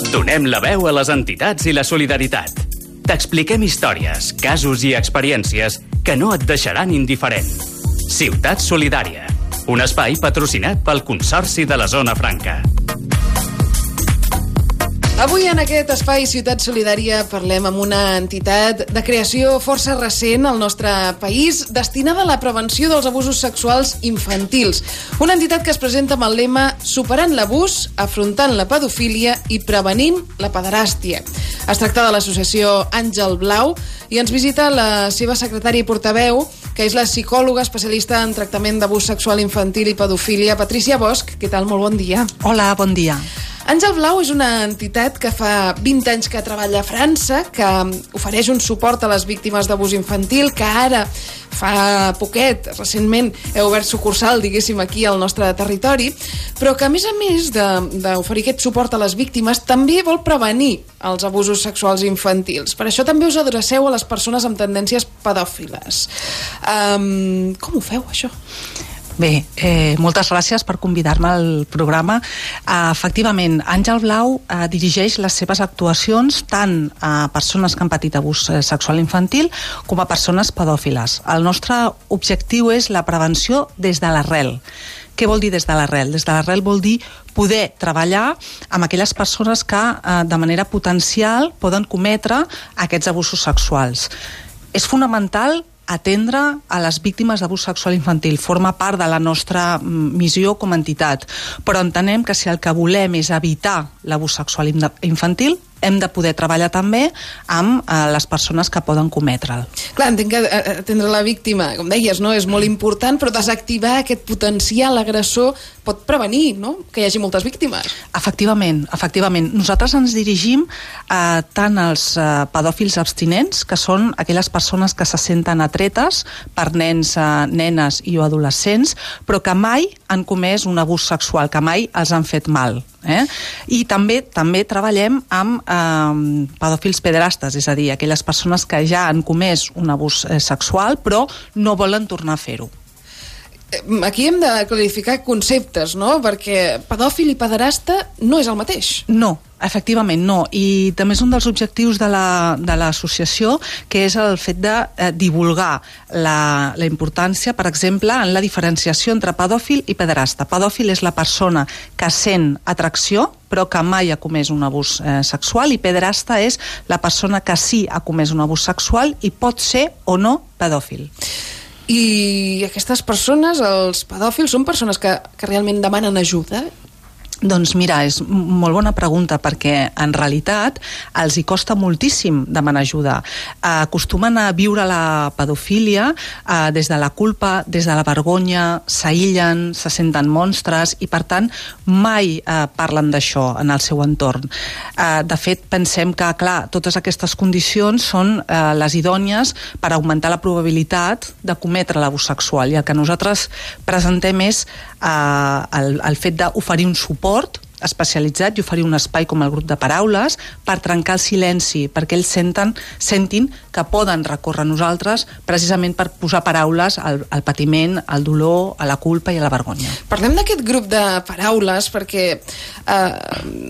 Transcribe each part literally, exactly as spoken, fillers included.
Donem la veu a les entitats i la solidaritat. T'expliquem històries, casos i experiències que no et deixaran indiferent. Ciutat Solidària, un espai patrocinat pel Consorci de la Zona Franca. Avui en aquest espai Ciutat Solidària parlem amb una entitat de creació força recent al nostre país destinada a la prevenció dels abusos sexuals infantils. Una entitat que es presenta amb el lema Superant l'abús, afrontant la pedofília i prevenint la pederàstia. Es tracta de l'associació Àngel Blau i ens visita la seva secretària i portaveu, que és la psicòloga especialista en tractament d'abús sexual infantil i pedofília, Patricia Bosch. Què tal? Molt bon dia. Hola, bon dia. Àngel Blau és una entitat que fa vint anys que treballa a França, que ofereix un suport a les víctimes d'abús infantil, que ara, fa poquet, recentment, heu obert sucursal, diguéssim, aquí al nostre territori, però que, a més a més d'oferir aquest suport a les víctimes, també vol prevenir els abusos sexuals infantils. Per això també us adreceu a les persones amb tendències pedòfiles. Um, com ho feu, això? Bé, eh, moltes gràcies per convidar-me al programa. Uh, efectivament, Àngel Blau uh, dirigeix les seves actuacions tant a persones que han patit abús eh, sexual infantil com a persones pedòfiles. El nostre objectiu és la prevenció des de l'arrel. Què vol dir des de l'arrel? Des de l'arrel vol dir poder treballar amb aquelles persones que eh, de manera potencial poden cometre aquests abusos sexuals. És fonamental atendre a les víctimes d'abús sexual infantil. Forma part de la nostra missió com a entitat. Però entenem que si el que volem és evitar l'abús sexual infantil, hem de poder treballar també amb eh, les persones que poden cometre'l. Clar, entenc que atendre la víctima, com deies, no, és molt important, però desactivar aquest potencial agressor pot prevenir, no?, que hi hagi moltes víctimes. Efectivament, efectivament. Nosaltres ens dirigim eh, tant als eh, pedòfils abstinents, que són aquelles persones que se senten atretes per nens, eh, nenes i o adolescents, però que mai han comès un abús sexual, que mai els han fet mal. Eh? I també també treballem amb eh, pedòfils pederastes, és a dir, aquelles persones que ja han comès un abús eh, sexual però no volen tornar a fer-ho. Aquí hem de clarificar conceptes, no? Perquè pedòfil i pederasta no és el mateix. No, efectivament no, i també és un dels objectius de la, de l'associació, que és el fet de eh, divulgar la, la importància, per exemple, en la diferenciació entre pedòfil i pederasta. Pedòfil és la persona que sent atracció però que mai ha comès un abús eh, sexual, i pederasta és la persona que sí ha comès un abús sexual i pot ser o no pedòfil. I aquestes persones, els pedòfils, són persones que, que realment demanen ajuda? Doncs mira, és molt bona pregunta, perquè en realitat els hi costa moltíssim demanar ajuda. Acostumen a viure la pedofília eh, des de la culpa, des de la vergonya, s'aïllen, se senten monstres i per tant mai eh, parlen d'això en el seu entorn. Eh, de fet, pensem que, clar, totes aquestes condicions són eh, les idònies per augmentar la probabilitat de cometre l'abús sexual, i el que nosaltres presentem és eh, el, el fet d'oferir un suport especialitzat i oferir un espai com el grup de paraules per trencar el silenci, perquè ells senten, sentin que poden recórrer a nosaltres precisament per posar paraules al, al patiment, al dolor, a la culpa i a la vergonya. Parlem d'aquest grup de paraules perquè eh,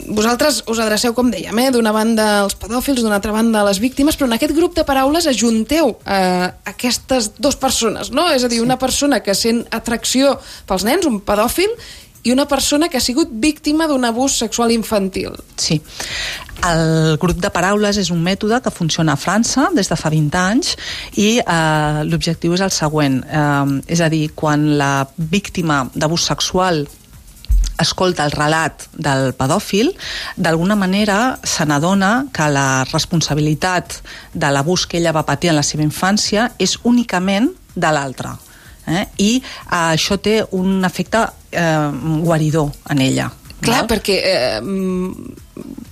vosaltres us adreceu, com dèiem, eh, d'una banda als pedòfils, d'una altra banda a les víctimes, però en aquest grup de paraules ajunteu eh, aquestes dues persones, no? És a dir, una persona que sent atracció pels nens, un pedòfil, i una persona que ha sigut víctima d'un abús sexual infantil. Sí. El grup de paraules és un mètode que funciona a França des de fa vint anys i eh, l'objectiu és el següent. Eh, és a dir, quan la víctima d'abús sexual escolta el relat del pedòfil, d'alguna manera se n'adona que la responsabilitat de l'abús que ella va patir en la seva infància és únicament de l'altre. Eh? I eh, això té un efecte eh, guaridor en ella. Clar, val? perquè eh,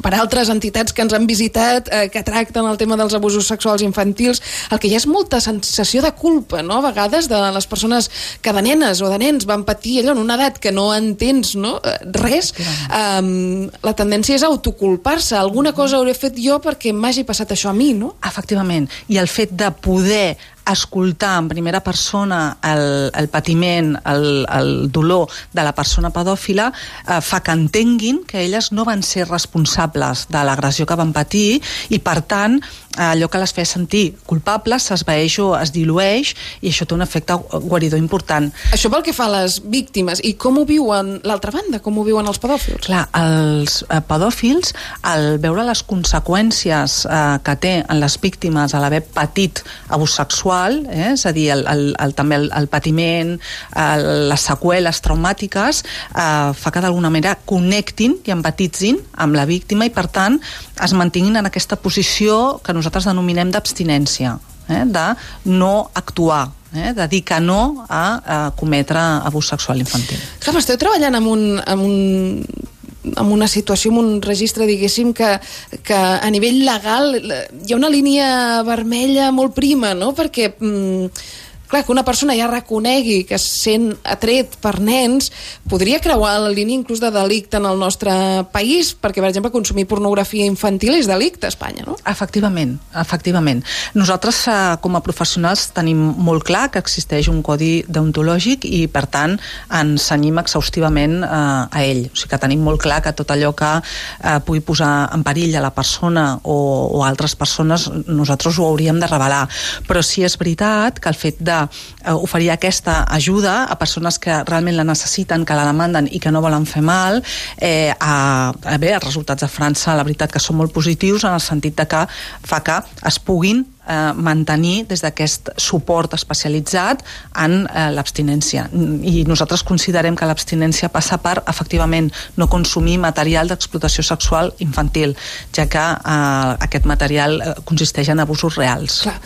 per altres entitats que ens han visitat, eh, que tracten el tema dels abusos sexuals infantils, el que hi ha és molta sensació de culpa, no?, a vegades, de les persones que de nenes o de nens van patir allò en una edat que no entens, no?, res. Um, la tendència és autoculpar-se. Alguna cosa hauré fet jo perquè m'hagi passat això a mi, no? Efectivament. I el fet de poder escoltar en primera persona el, el patiment, el, el dolor de la persona pedòfila, eh, fa que entenguin que elles no van ser responsables de l'agressió que van patir i, per tant, allò que les feia sentir culpables s'esvaeix o es dilueix i això té un efecte guaridor important. Això pel que fa a les víctimes. I com ho viuen l'altra banda? Com ho viuen els pedòfils? Clar, els eh, pedòfils, al veure les conseqüències eh, que té en les víctimes a l'haver patit abús sexual, eh, és a dir, el, el, el, també el, el patiment, el, les seqüeles traumàtiques, eh, fa que d'alguna manera connectin i empatitzin amb la víctima i, per tant, es mantinguin en aquesta posició que nosaltres denominem d'abstinència, eh, de no actuar, eh, de dir que no a, a cometre abús sexual infantil. Clar, esteu treballant amb un, amb un amb una situació, amb un registre, diguéssim, que, que a nivell legal hi ha una línia vermella molt prima, no? Perquè mm, clar, que una persona ja reconegui que es sent atret per nens podria creuar la línia inclús de delicte en el nostre país, perquè, per exemple, consumir pornografia infantil és delicte a Espanya, no? Efectivament, efectivament. Nosaltres, eh, com a professionals, tenim molt clar que existeix un codi deontològic i, per tant, ens cenyim exhaustivament eh, a ell. O sigui que tenim molt clar que tot allò que eh, pugui posar en perill a la persona o, o altres persones, nosaltres ho hauríem de revelar. Però sí és veritat que el fet de oferir aquesta ajuda a persones que realment la necessiten, que la demanden i que no volen fer mal, eh, a, a bé, els resultats de França la veritat que són molt positius en el sentit de que fa que es puguin eh, mantenir des d'aquest suport especialitzat en eh, l'abstinència. I nosaltres considerem que l'abstinència passa per, efectivament, no consumir material d'explotació sexual infantil, ja que eh, aquest material eh, consisteix en abusos reals. Clar.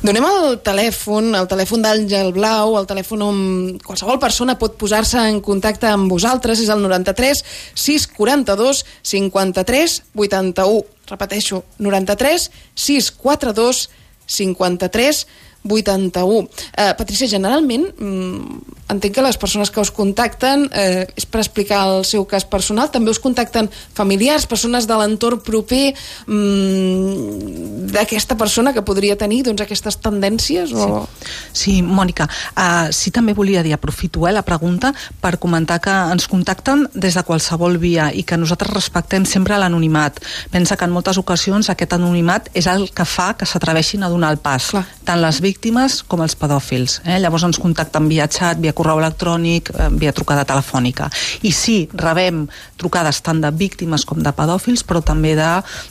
Donem el telèfon, el telèfon d'Àngel Blau, el telèfon on qualsevol persona pot posar-se en contacte amb vosaltres, és el noranta-tres sis quaranta-dos cinquanta-tres vuitanta-u. Repeteixo, noranta-tres sis quaranta-dos cinquanta-tres vuitanta-u. Eh, Patrícia, generalment mm, entenc que les persones que us contacten eh, és per explicar el seu cas personal, també us contacten familiars, persones de l'entorn proper mm, d'aquesta persona que podria tenir doncs, aquestes tendències? O... Sí. sí, Mònica, uh, sí també volia dir, aprofito eh, la pregunta per comentar que ens contacten des de qualsevol via i que nosaltres respectem sempre l'anonimat. Pensa que en moltes ocasions aquest anonimat és el que fa que s'atreveixin a donar el pas. Clar. Tant les víctimes com els pedòfils. Eh? Llavors ens contacten via xat, via correu electrònic, eh, via trucada telefònica. I sí, rebem trucades tant de víctimes com de pedòfils, però també de,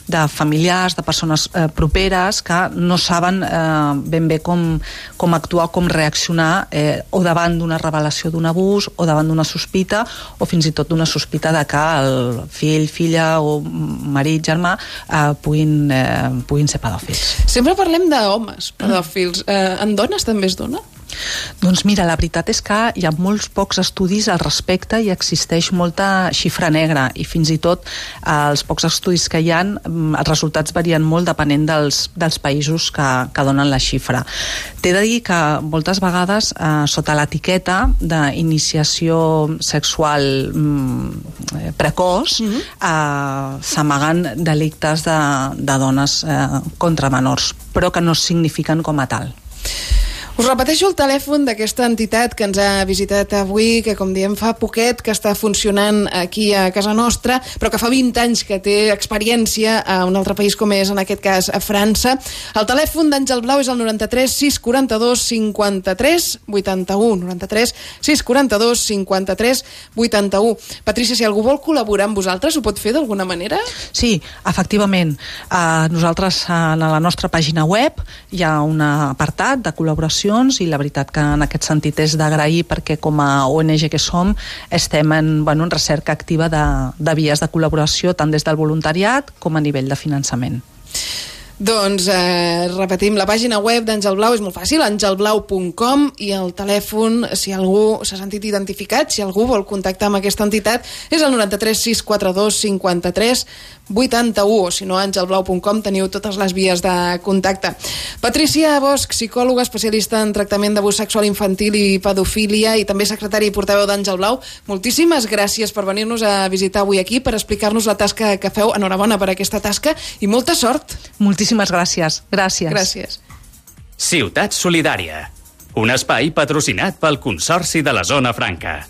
de familiars, de persones eh, properes que no saben eh, ben bé com, com actuar, com reaccionar eh, o davant d'una revelació d'un abús o davant d'una sospita o fins i tot d'una sospita de que el fill, filla o marit, germà eh, puguin, eh, puguin ser pedòfils. Sempre parlem d'homes pedòfils. Eh, en dones també es dona? Doncs mira, la veritat és que hi ha molts pocs estudis al respecte i existeix molta xifra negra i fins i tot eh, els pocs estudis que hi ha, els resultats varien molt depenent dels, dels països que, que donen la xifra. T'he de dir que moltes vegades eh, sota l'etiqueta d'iniciació sexual mm, precoç mm-hmm. eh, s'amaguen delictes de, de dones eh, contra menors, però que no es signifiquen com a tal. Us repeteixo el telèfon d'aquesta entitat que ens ha visitat avui, que com diem fa poquet que està funcionant aquí a casa nostra, però que fa vint anys que té experiència a un altre país com és en aquest cas a França. El telèfon d'Àngel Blau és el noranta-tres sis quaranta-dos cinquanta-tres vuitanta-u, noranta-tres sis quaranta-dos cinquanta-tres vuitanta-u. Patrícia, si algú vol col·laborar amb vosaltres, ho pot fer d'alguna manera? Sí, efectivament. Uh, nosaltres uh, a la nostra pàgina web hi ha un apartat de col·laboració i la veritat que en aquest sentit és d'agrair perquè com a O N G que som estem en, bueno, en recerca activa de, de vies de col·laboració tant des del voluntariat com a nivell de finançament. Doncs eh, repetim, la pàgina web d'Àngel Blau és molt fàcil, àngel blau punt com, i el telèfon, si algú s'ha sentit identificat, si algú vol contactar amb aquesta entitat, és el noranta-tres sis quaranta-dos cinquanta-tres vuitanta-u, o si no, àngel blau punt com, teniu totes les vies de contacte. Patrícia Bosch, psicòloga especialista en tractament d'abús sexual infantil i pedofília i també secretària i portaveu d'Àngel Blau, moltíssimes gràcies per venir-nos a visitar avui aquí, per explicar-nos la tasca que feu. Enhorabona per aquesta tasca i molta sort. Moltíssimes gràcies. Gràcies. Gràcies. Ciutat Solidària, un espai patrocinat pel Consorci de la Zona Franca.